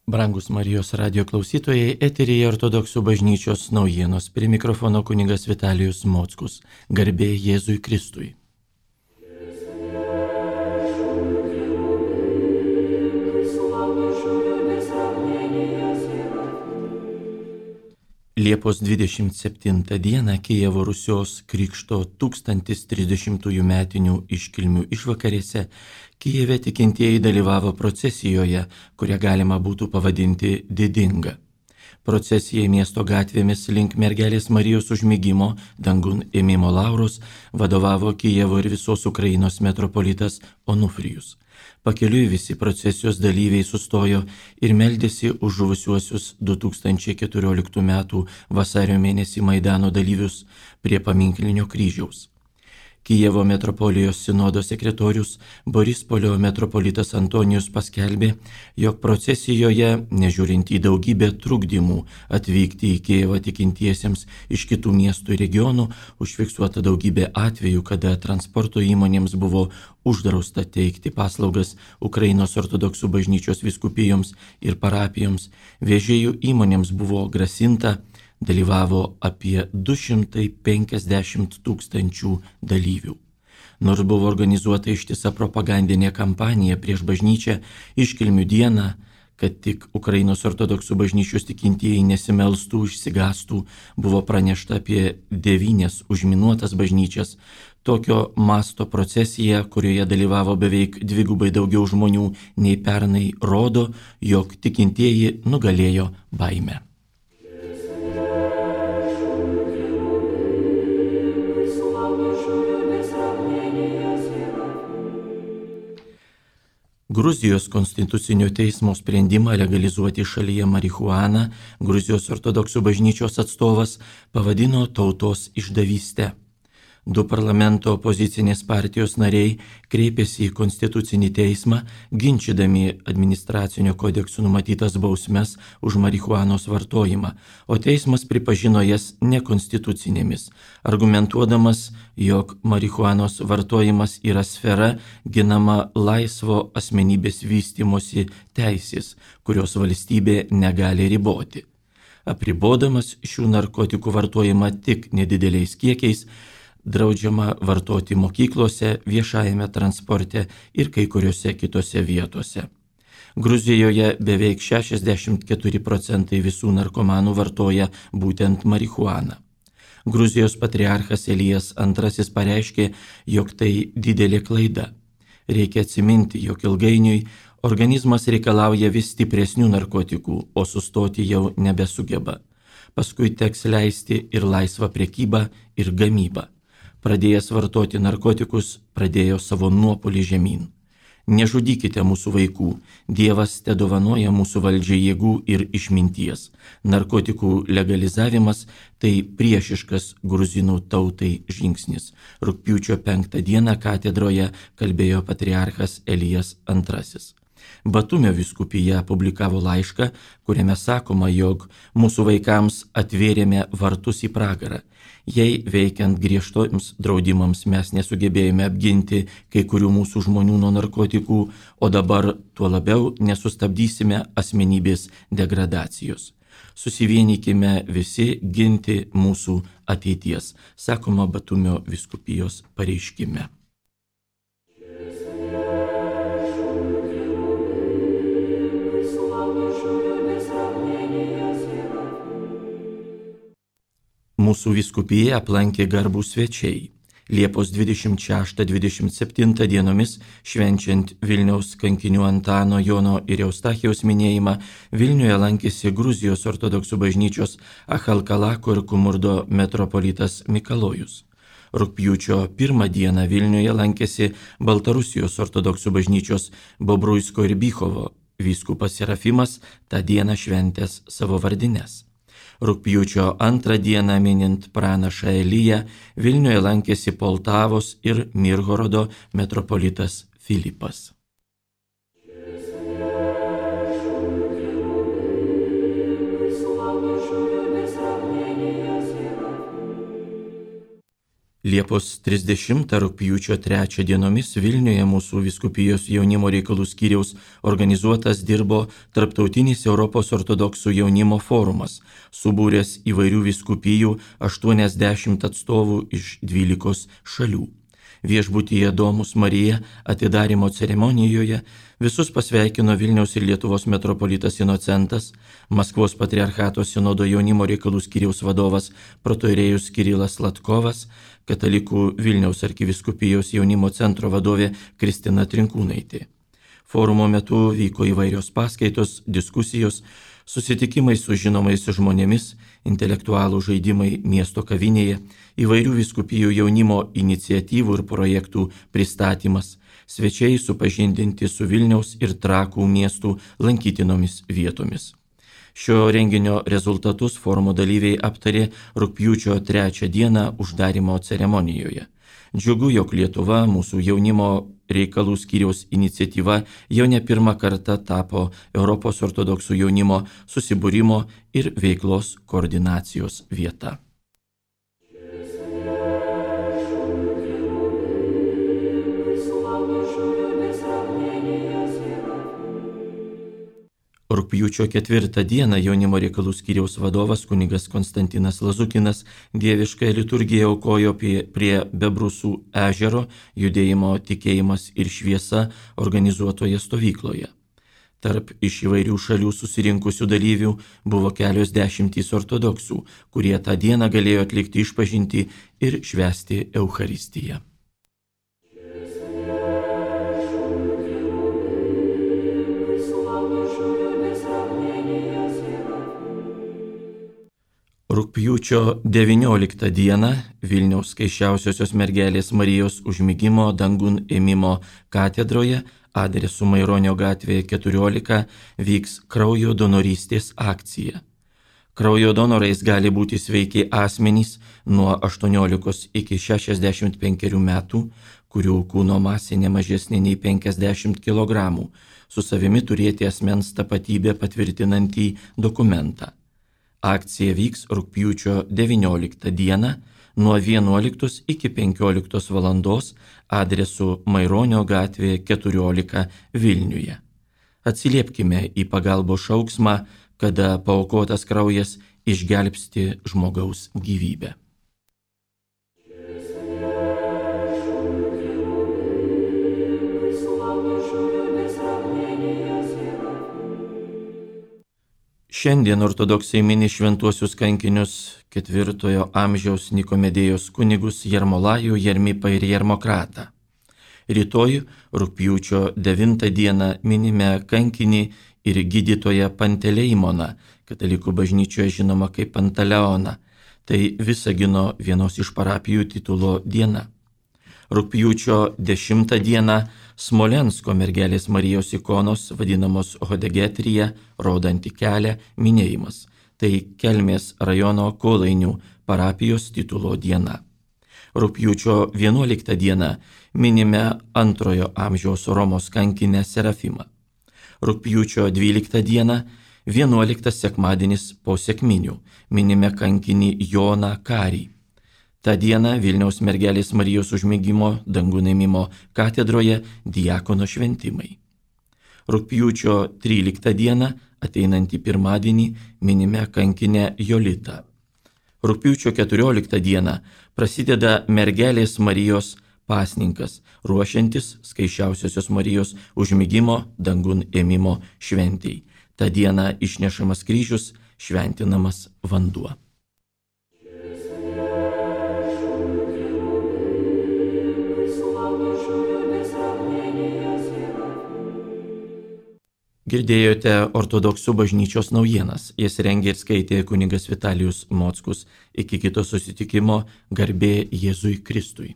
Brangus Marijos radio klausytojai, eteryje Ortodoksų bažnyčios naujienos. Prie mikrofono kunigas Vitalijus Mockus. Garbė Jėzui Kristui. Liepos 27 dieną Kijevo Rusios Krikšto 1030 metinių iškilmių išvakarėse Kijeve tikintieji dalyvavo procesijoje, kurią galima būtų pavadinti didinga. Procesijai miesto gatvėmis link mergelės Marijos užmigimo dangun ėmimo lauros vadovavo Kijevo ir visos Ukrainos metropolitas Onufrijus. Pakeliui visi procesijos dalyviai sustojo ir meldėsi už žuvusiuosius 2014 m. vasario mėnesį Maidano dalyvius prie paminklinio kryžiaus. Kijevo metropolijos sinodo sekretorius Borispolio metropolitas Antonijus paskelbė, jog procesijoje, nežiūrint į daugybę trukdymų atvykti į Kijevą tikintiesiems iš kitų miestų ir regionų, užfiksuota daugybė atvejų, kada transporto įmonėms buvo uždrausta teikti paslaugas Ukrainos ortodoksų bažnyčios vyskupijoms ir parapijoms, vežėjų įmonėms buvo grasinta. Dalyvavo apie 250 000 dalyvių. Nors buvo organizuota ištisa propagandinė kampanija prieš bažnyčią iškilmių dieną, kad tik Ukrainos ortodoksų bažnyčios tikintieji nesimelstų, išsigastų, buvo pranešta apie 9 užminuotas bažnyčias. Tokio masto procesija, kurioje dalyvavo beveik dvigubai daugiau žmonių nei pernai, rodo, jog tikintieji nugalėjo baimę. Gruzijos konstitucinio teismo sprendimą legalizuoti šalyje marihuaną Gruzijos ortodoksų bažnyčios atstovas pavadino tautos išdavyste. 2 parlamento opozicinės partijos nariai kreipėsi į konstitucinį teismą, ginčydami administracinio kodeksų numatytas bausmes už marihuanos vartojimą, o teismas pripažino jas nekonstitucinėmis, argumentuodamas, jog marihuanos vartojimas yra sfera ginama laisvo asmenybės vystymosi teisės, kurios valstybė negali riboti. Apribodamas šių narkotikų vartojimą tik nedideliais kiekiais, draudžiama vartoti mokyklose, viešajame transporte ir kai kuriuose kitose vietose. Gruzijoje beveik 64 procentai visų narkomanų vartoja būtent marihuaną. Gruzijos patriarchas Elijas II pareiškė, jog tai didelė klaida. Reikia atsiminti, jog ilgainiui organizmas reikalauja vis stipresnių narkotikų, o sustoti jau nebesugeba. Paskui teks leisti ir laisvą prekybą, ir gamybą. Pradėjęs vartoti narkotikus, pradėjo savo nuopolį žemyn. Nežudykite mūsų vaikų, Dievas tedovanoja mūsų valdžiai jėgų ir išminties. Narkotikų legalizavimas tai priešiškas gruzinų tautai žingsnis. Rugpjūčio 5 dieną katedroje kalbėjo patriarchas Elijas II. Batumio vyskupija publikavo laišką, kuriame sakoma, jog mūsų vaikams atvėrėme vartus į pragarą. Jei veikiant griežtoms draudimams mes nesugebėjome apginti kai kurių mūsų žmonių nuo narkotikų, o dabar tuo labiau nesustabdysime asmenybės degradacijos. Susivienykime visi ginti mūsų ateities, sakoma Batumio vyskupijos pareiškime. Mūsų vyskupiją aplankė garbūs svečiai. Liepos 26-27 dienomis, švenčiant Vilniaus kankinių Antano, Jono ir Eustachijaus minėjimą, Vilniuje lankėsi Gruzijos ortodoksų bažnyčios Achalkalako ir Kumurdo metropolitas Mikalojus. Rugpjūčio 1 dieną Vilniuje lankėsi Baltarusijos ortodoksų bažnyčios Bobruisko ir Bychovo vyskupas Serafimas, tą dieną šventęs savo vardines. Rugpjūčio 2 dieną minint pranašą Eliją, Vilniuje lankėsi Poltavos ir Mirhorodo metropolitas Filipas. Liepos 30 rugpjūčio 3 dienomis Vilniuje mūsų vyskupijos jaunimo reikalų skyriaus organizuotas dirbo Tarptautinis Europos ortodoksų jaunimo forumas, subūręs įvairių vyskupijų 80 atstovų iš 12 šalių. Viešbutyje Domus Marija atidarimo ceremonijoje visus pasveikino Vilniaus ir Lietuvos metropolitas Inocentas, Maskvos patriarchato sinodo jaunimo reikalų skyriaus vadovas protoirėjus Kirilas Latkovas, katalikų Vilniaus arkivyskupijos jaunimo centro vadovė Kristina Trinkūnaitė. Forumo metu vyko įvairios paskaitos, diskusijos, susitikimai su žinomais žmonėmis, intelektualų žaidimai miesto kavinėje, įvairių vyskupijų jaunimo iniciatyvų ir projektų pristatymas, svečiai supažindinti su Vilniaus ir Trakų miestų lankytinomis vietomis. Šio renginio rezultatus forumo dalyviai aptarė rugpjūčio 3 dieną uždarimo ceremonijoje. Džiugu, jog Lietuva mūsų jaunimo reikalų skyriaus iniciatyva jau ne pirmą kartą tapo Europos ortodoksų jaunimo susibūrimo ir veiklos koordinacijos vieta. Rugpjūčio 4 dieną jaunimo reikalų skyriaus vadovas kunigas Konstantinas Lazukinas dieviškąją liturgiją aukojo prie Bebrusų ežero judėjimo Tikėjimas ir šviesa organizuotoje stovykloje. Tarp iš įvairių šalių susirinkusių dalyvių buvo kelios dešimtys ortodoksų, kurie tą dieną galėjo atlikti išpažintį ir švęsti Eucharistiją. Rugpjūčio 19 dieną Vilniaus Skaisčiausiosios mergelės Marijos užmigimo dangun ėmimo katedroje adresu Maironio gatvėje 14 vyks kraujo donorystės akcija. Kraujo donorais gali būti sveiki asmenys nuo 18 iki 65 metų, kurių kūno masė ne mažesnė nei 50 kg, su savimi turėti asmens tapatybę patvirtinantį dokumentą. Akcija vyks rugpjūčio 19 dieną nuo 11 iki 15 valandos adresu Maironio gatvėje 14 Vilniuje. Atsiliepkime į pagalbos šauksmą, kada paaukotas kraujas išgelbsti žmogaus gyvybę. Šiandien ortodoksai mini šventuosius kankinius 4 amžiaus Nikomedėjos kunigus Jarmolajų, Jarmipą ir Jarmokratą. Rytoj, rugpjūčio 9 dieną, minime kankinį ir gydytoją Panteleimoną, katalikų bažnyčioje žinoma kaip Pantaleoną. Tai Visagino vienos iš parapijų titulo diena. Rugpjūčio 10 dieną Smolensko mergelės Marijos ikonos vadinamos Hodegetrija, rodanti kelią, minėjimas. Tai Kelmės rajono Kolainių parapijos titulo diena. Rugpjūčio 11 dieną minime 2 amžiaus Romos kankinę Serafimą. Rugpjūčio 12 dieną 11 sekmadienis po sekminių minime kankinį Joną Karį. Ta diena Vilniaus mergelės Marijos užmigimo dangun ėmimo katedroje diakono šventimai. Rugpjūčio 13 dieną, ateinantį pirmadienį, minime kankinę Jolitą. Rugpjūčio 14 dieną prasideda mergelės Marijos pasninkas, ruošiantis Skaisčiausiosios Marijos užmigimo dangun ėmimo šventei. Ta diena išnešamas kryžius, šventinamas vanduo. Girdėjote ortodoksų bažnyčios naujienas. Jas rengė ir skaitė kunigas Vitalijus Mockus. Iki kito susitikimo, garbė Jėzui Kristui.